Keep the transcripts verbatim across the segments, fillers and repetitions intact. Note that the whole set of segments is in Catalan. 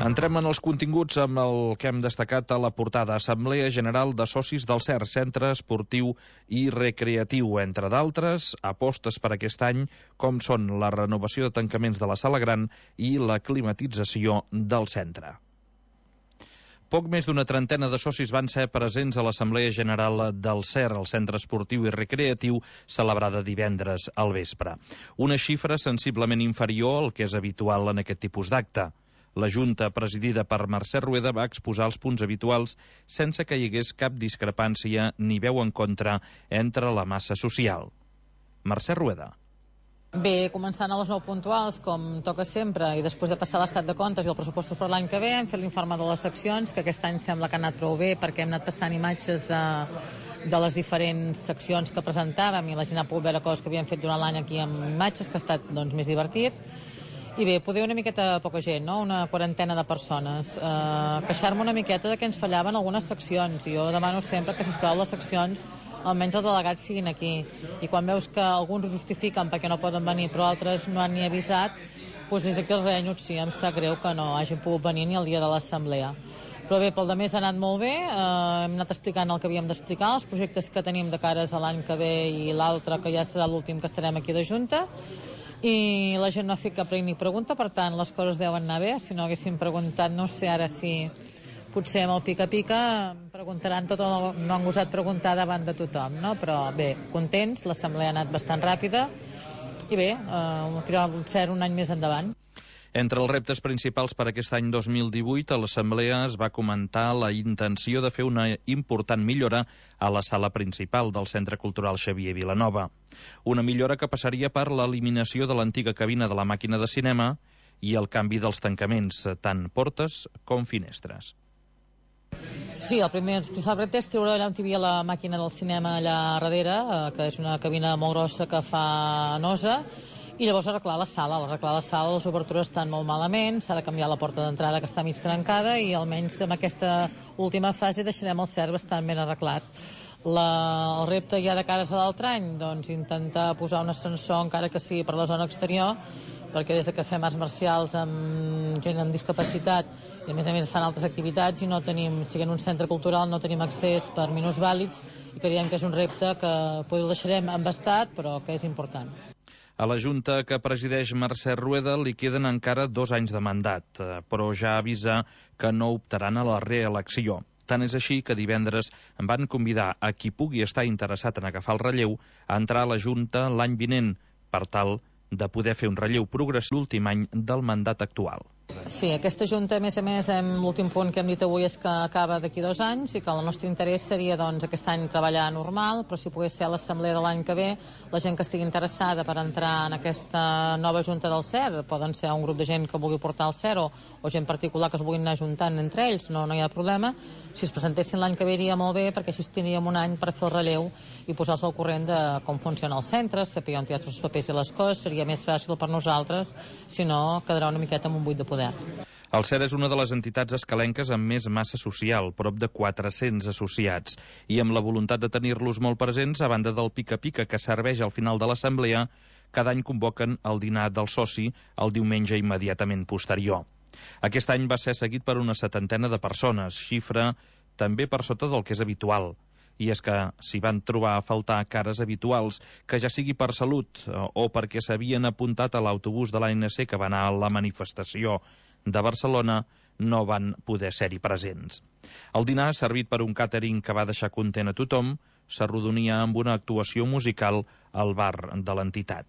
Entrem en els continguts amb el que hem destacat a la portada. Assemblea General de Socis del C E R, Centre Esportiu i Recreatiu. Entre d'altres, apostes per aquest any, com són la renovació de tancaments de la Sala Gran i la climatització del centre. Poc més d'una trentena de socis van ser presents a l'Assemblea General del C E R, el Centre Esportiu i Recreatiu, celebrada divendres al vespre. Una xifra sensiblement inferior al que és habitual en aquest tipus d'acte. La Junta, presidida per Mercè Rueda, va exposar els punts habituals sense que hi hagués cap discrepància ni veu en contra entre la massa social. Mercè Rueda. Bé, començant a les nou puntuals, com toca sempre, i després de passar l'estat de comptes i el pressupost per l'any que ve, hem fet l'informe de les seccions, que aquest any sembla que ha anat prou bé, perquè hem anat passant imatges de, de les diferents seccions que presentàvem, i la gent ha pogut veure coses que havíem fet durant l'any aquí amb imatges, que ha estat doncs, més divertit. I bé, poder una miqueta poca gent, no? Una quarantena de persones. Eh, queixar-me una miqueta de que ens fallaven algunes seccions. Jo demano sempre que, sisplau, les seccions, almenys els delegats siguin aquí. I quan veus que alguns ho justifiquen perquè no poden venir, però altres no han ni avisat, doncs des d'aquí els renyo, sí, em sap greu que no hagin pogut venir ni el dia de l'assemblea. Però bé, pel demés ha anat molt bé, eh, hem anat explicant el que havíem d'explicar, els projectes que tenim de cares a l'any que ve i l'altre, que ja serà l'últim que estarem aquí de Junta, i la gent no ha fet cap ni pregunta, per tant les coses deuen anar bé. Si no haguéssim preguntat, no sé ara si potser amb el pica-pica em preguntaran tot o no han gosat preguntar davant de tothom, no? Però bé, contents, l'assemblea ha anat bastant ràpida i bé, eh, tirar el C E R un any més endavant. Entre els reptes principals per aquest any dos mil divuit, a l'Assemblea es va comentar la intenció de fer una important millora a la sala principal del Centre Cultural Xavier Vilanova. Una millora que passaria per l'eliminació de l'antiga cabina de la màquina de cinema i el canvi dels tancaments, tant portes com finestres. Sí, el primer principal repte és treure allà on hi havia la màquina del cinema allà darrere, eh, que és una cabina molt grossa que fa nosa, i llavors arreglar la sala, arreglar la sala, les obertures estan molt malament, s'ha de canviar la porta d'entrada que està mig trencada i almenys en aquesta última fase deixarem el C E R bastant ben arreglat. La, el repte ja de cares a l'altre any, doncs intentar posar un ascensor encara que sigui per la zona exterior, perquè des de que fem arts marcials amb gent amb discapacitat i a més a més es fan altres activitats i no tenim, siguent un centre cultural, no tenim accés per minusvàlids i creiem que és un repte que potser el deixarem embastat però que és important. A la Junta que presideix Mercè Rueda li queden encara dos anys de mandat, però ja avisa que no optaran a la reelecció. Tant és així que divendres em van convidar a qui pugui estar interessat en agafar el relleu a entrar a la Junta l'any vinent, per tal de poder fer un relleu progressiu l'últim any del mandat actual. Sí, aquesta Junta, a més a més, l'últim punt que hem dit avui és que acaba d'aquí dos anys i que el nostre interès seria doncs, aquest any treballar normal, però si pogués ser a l'assemblea de l'any que ve, la gent que estigui interessada per entrar en aquesta nova Junta del C E R, poden ser un grup de gent que vulgui portar el C E R o, o gent particular que es vulguin anar juntant entre ells, no, no hi ha problema. Si es presentessin l'any que ve iria molt bé perquè així tindríem un any per fer el relleu i posar-se al corrent de com funciona el centre, saber on hi ha tots els papers i les coses, seria més fàcil per nosaltres, si no quedarà una miqueta amb un buit de poder. El C E R és una de les entitats escalenques amb més massa social, prop de quatre-cents associats, i amb la voluntat de tenir-los molt presents, a banda del pica-pica que serveix al final de l'assemblea, cada any convoquen el dinar del soci el diumenge immediatament posterior. Aquest any va ser seguit per una setantena de persones, xifra també per sota del que és habitual. I és que s'hi van trobar a faltar cares habituals, que ja sigui per salut o perquè s'havien apuntat a l'autobús de l'A N C que va anar a la manifestació de Barcelona, no van poder ser-hi presents. El dinar, servit per un càtering que va deixar content a tothom, s'arrodonia amb una actuació musical al bar de l'entitat.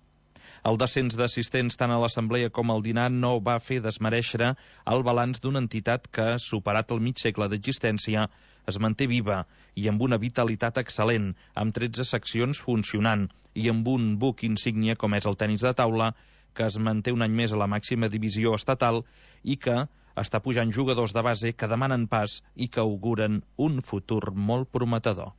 El descens d'assistents tant a l'assemblea com al dinar no va fer desmereixer el balanç d'una entitat que, superat el mig segle d'existència, es manté viva i amb una vitalitat excel·lent, amb tretze seccions funcionant i amb un buc insígnia com és el tenis de taula, que es manté un any més a la màxima divisió estatal i que està pujant jugadors de base que demanen pas i que auguren un futur molt prometedor.